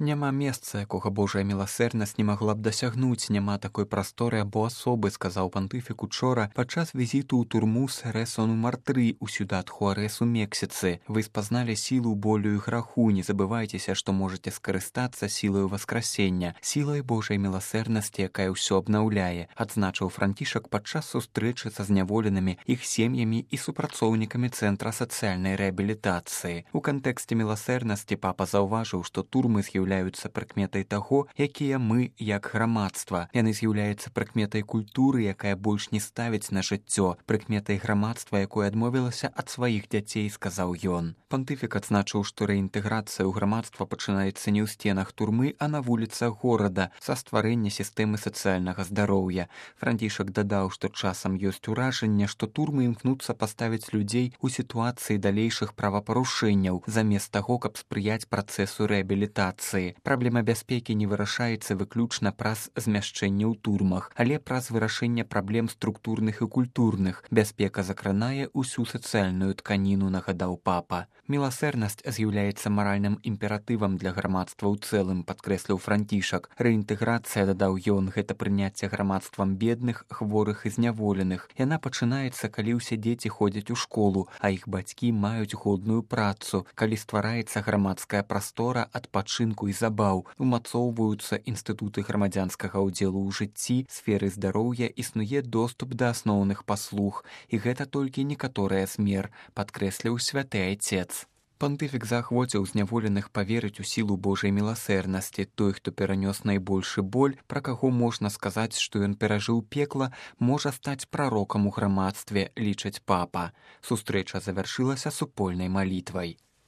Няма месца, якога Божая міласэрнасць не магла б дасягнуць, няма такой прасторы або асобы, сказаў пантыфік учора падчас візіту ў турму Сересо нумар 3 у Сюдат Хуарес у Мексіцы. Вы спазналі сілу болю і граху, не забывайцеся, што можаце скарыстацца сілаю васкрасення, сілай Божай міласэрнасці, якая ўсё абнаўляе, адзначыў Францішак падчас сустрэчы са зняволенымі, іх сем'ямі і супрацоўнікамі Цэнтра сацыяльнай рэабілітацыі. У кантэксце міласэрнасці папа заўважыў, што турмы з'яўляюцца прыкметай таго, якія мы як грамадства. Яны з'яўляюцца прыкметай культуры, якая больш не ставіць на жыццё, прыкметай грамадства, якое адмовілася ад сваіх дзяцей, сказаў ён. Пантыфік адзначыў, што рэінтэграцыя ў грамадства пачынаецца не ў сценах турмы, а на вуліцах горада, са стварэння сістэмы сацыяльнага здароўя. Францішак дадаў, што часам ёсць уражанне, што турмы імкнуцца паставіць людзей у сітуацыі далейшых правапарушэнняў, замест таго, каб спрыяць працэсу рэабілітацыі. Праблема бяспекі не вырашаецца выключна праз змяшчэнне ў турмах, але праз вырашэнне праблем структурных і культурных. Бяспека закранае ўсю сацыяльную тканіну, нагадаў папа. Міласэрнасць з'яўляецца маральным імператывам для грамадства ў цэлым, падкрэсліў Францішак. Рэінтэграцыя, дадаў ён, гэта прыняцце грамадствам бедных, хворых і зняволеных. Яна пачынаецца, калі ўсе дзеці ходзяць у школу, а іх бацькі маюць годную працу, калі ствараецца грамадская прастора адпачынку і забаў, умацоўваюцца інстытуты грамадзянскага ўдзелу ў жыцці, сферы здароўя, існуе доступ да асноўных паслуг. І гэта толькі некаторыя з мер, падкрэсліў святы айцец. Пантыфік заахвоціў зняволеных паверыць у сілу Божай міласэрнасці. Той, хто перанёс найбольшы боль, пра каго можна сказаць, што ён перажыў пекла, можа стаць прарокам у грамадстве, лічыць папа. Сустрэча завяршылася супольнай малітвай.